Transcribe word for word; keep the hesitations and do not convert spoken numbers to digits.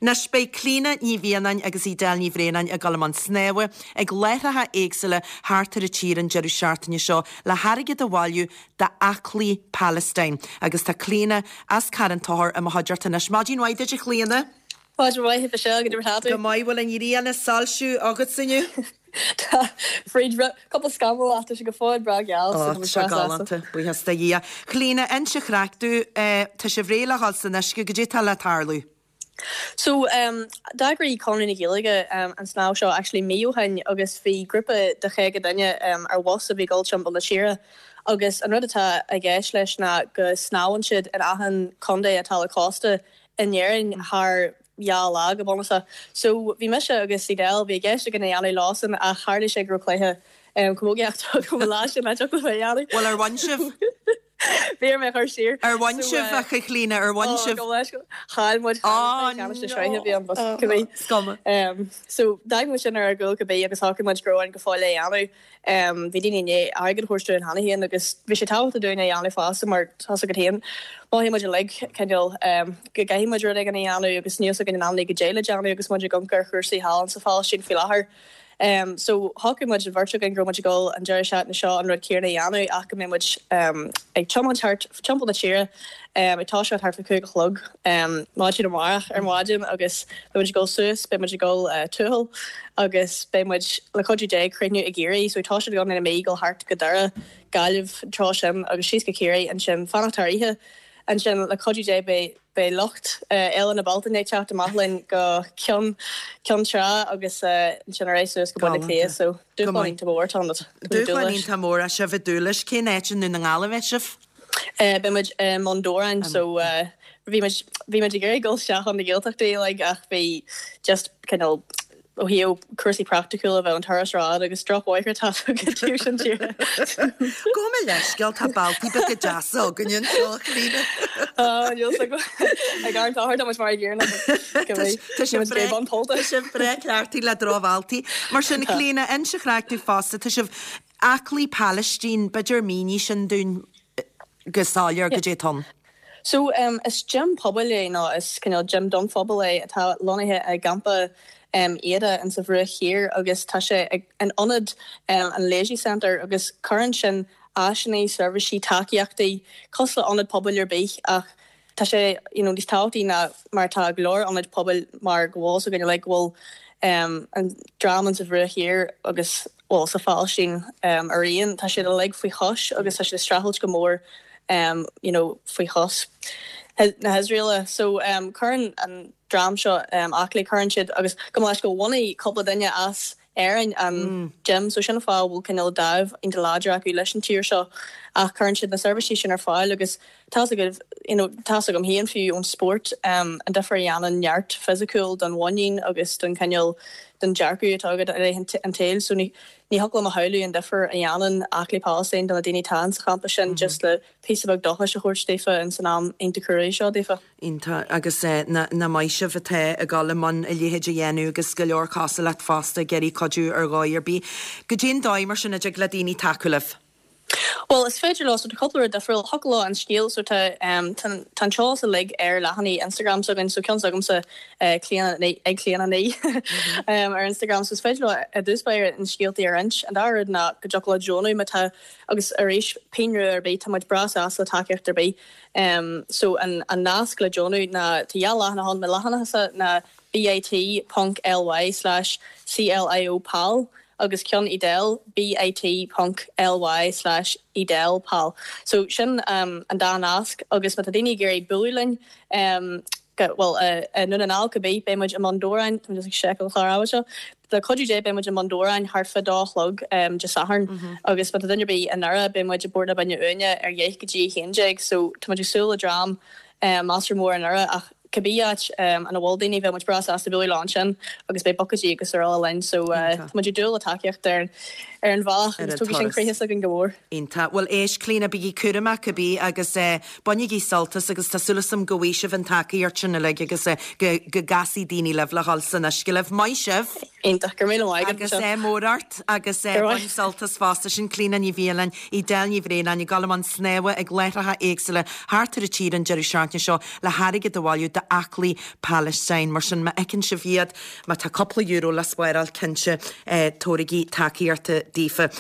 Anois beidh Clíona Ní Mhianáin agus Edel Ní Bhraonáin ag dul i mbun snámha ag láithreacha éagsúla thart ar an tír an deireadh seachtaine seo le hairgead a bhailiú d'Aclaí Palestine. Agus tá Clíona as Carn Tóchair i mo chuideachta anois. Maidin mhaith duit a Chlíona. Maidin mhaith a go dtí Go maith bhfuil an ghrian ag soilsiú agat inniu? Tá fríd cúpla scamall ach tá sé go fóill breá geal Tá galánta buíochas do Dhia. Clíona inis an chraic dúinn tá sibh réidh le dhul san uisce goidé tá le tarlú. So um, d'eagraigh Conradh na Gaeilge um, an snámh seo actually mí ó shin agus bhí grúpa de chaoga duine um, ar bhus a bhí dul timpeall na tíre. agus an rud atá i gceist leis ná go snámhann siad in achan contae atá le cósta in Éirinn thar dhá lá go bunúsach. So bhí mise agus Edel bhí ceist againn é a dhéanamh lá ach tharla sé go raibh cluiche um, camógaíochta go lá sin le dhéanamh. Well ar bhain sibh? Bhí mé chur siar. Ar bhain sibh a Chlíona ar bhain sibh Chaill muid bhí Scuma. So d'fhág muid sin ar gcúl go bí agus shocraigh muid go raibh go fóill é dhéanamh. Um, bhí daoine inné airgead thuirú an hena héan agus bhí sé tábhachtach dúinn é dhéanamh fosta mar tá go haon Má muid le cineál um, go gcaithfidh muid rud éigin a dhéanamh agus níos gan an go déile déanamh agus muid ag amharc ar chúrsaí thall sa Phalaistín faoi láthair. Um, so shocraigh muid bheirt againn go muid dul an deireadh seachtaine seo an rud céanna a dhéanamh ach go mbeidh muid um, ag tiomáint thart timpeall na tíre um, ag toiseacht thart fá cúig a chlog um, maidin amárach ar maidin agus beidh muid ag dul suas beidh muid ag dul uh, Tuathal agus beidh muid le cuidiú Dé críochnú i gCiarraí so tá sé gan na mé go thart go Doire Gaillimh trá sin agus síos go Ciarraí ansin fanacht thar oíche ansin le cuidiú Dé beidh beidh lucht eile na Bealtaine teacht amach linn go Ceann Ceann Trá agus ansin ar suas go Baile Cliath so dúshlán mór tá Dúshlán mór a sibh i dúlis cén áit i nDún na nGall a bheidh sibh? Beidh muid i mBun Dobhráin so bhí bhí muid ag iarraidh dul isteach an na Gaeltachtaí like ach bhí just cineál ó thaobh cúrsaí praiticiúla bheith an turas rád agus drochbhóithre tá go sin tíre. Go me leisceil tá bealtaí beaga deasa againn anseo Clíona. Ag an táir muid mar ghéarna Tá sibh breá cleachtaithe le drochbhealtaí. Mar sin Clíona inis an chraic dúinn fosta tá sibh Aclaí Palestine b'fhéidir mínigh sin dúinn go soiléir goidé atá ann. So um, is gym pobail é nó is cineál gym don phobal é atá lonnaithe i gcampa um, Aida in sa Bhruach Thiar agus tá sé an ionad um, an Lajee Center agus cuireann sin áiseanna seirbhísí tacaíochtaí cosúil le ionad pobail ar bith ach tá sé you know, níos tábhachtaí ná mar tá go leor ionaid pobail mar go bhfuil so le go bhfuil um, an dream sa Bhruach Thiar agus well sa Phalaistín um, araon tá sé uilig faoi chois agus tá sé streachailt go mór um, you know, faoi chois na hIosraela so um, cuireann an dream seo um, aclaí cuireann siad agus go leis go bhunaigh cúpla duine as Éirinn an mm. gym so sin fáth bhfuil cineál dáimh iontach láidir acu leis an tír seo ach cuireann siad na seirbhísí sin ar fáil agus tá go you know, tá gom héan fiú ón sport um, an difear a dhéanann neart fisiciúil don mhuinín agus don cineál den dearcadh atá agat an tsaoil so ní ní thig liom a shamhlú an difear a dhéanann Aclaí Palestine do na daoine atá sa champa sin mm -hmm. just le píosa beag dóchais a thabhairt daofa in san am iontach crua seo daofa. Iontach agus eh, na, na maith sibh atá ag dul i mbun a leithéid a dhéanamh agus go leor cosúil leat fosta ag iarraidh cuidiú ar dhóigh ar bith. Goidé an dóigh mar sin a dtig le daoine tacú libh. Well is féidir leo so cúpla difriúil thig leo an scéal so tá um, tá seolas uilig ar leathanaigh Instagram so so ceann agamsa uh, ag Clíona Ní um, ar Instagram so is féidir leo a dúspair an scéaltaí ar roinnt an dara rud ná go dtig leo deonú má tá agus arís pingin ar bith tá muid breá sásta le tacaíocht ar bith um, so an, an nasc le deonú ná tá dhá leathanach ann mo leathanachsa ná bit.ly slash cliopal agus ceann Edel bit.ly slash edelpal. So sin um, an dá nasc agus má tá daoine ag iarraidh bualadh linn um, well uh, uh, Dún na nGall go bí beidh muid i mBun Dobhráin ag seiceáil chlár seo. Le cuidiú Dé beidh muid i mBun Dobhráin thart fá dó a chlog um, Dé Sathairn mm -hmm. agus má tá duine ar bith i nDoire beidh muid i bPort na Binne Uaine ar dheich go dtí haon déag, so tá muid ag súil le dream um, measartha mór i nDoire ach cibé áit um, an bhfuil daoine bheadh muid breá sásta bualadh leo ansin agus beidh bucaidí agus araile linn so uh, tá muid ag dúil le tacaíocht ar ar an bhealach agus tugann sin croíthas againn go mór. Iontach bhuel éist Clíona bígí cúramach cibé agus uh, bainigí sult as agus tá súil agam go bhfaighidh sibh an tacaíocht sin uilig agus uh, go go gcasfaidh daoine libh le dhul san uisce libh maith sibh. Iontach gur míle maith agus é mórart agus é bain sult as fosta sin Clíona Ní Mhialáin Edel Ní Bhraonáin ag dul i mbun snámha ag láithreacha éagsúla thart ar an tír an deireadh seachtaine seo le hairgead a bhailiú d'aclaí Palestine mar sin má fheiceann sibh iad má tá cúpla euro le spáráil cinnte eh, tabhairigí tacaíocht daofa.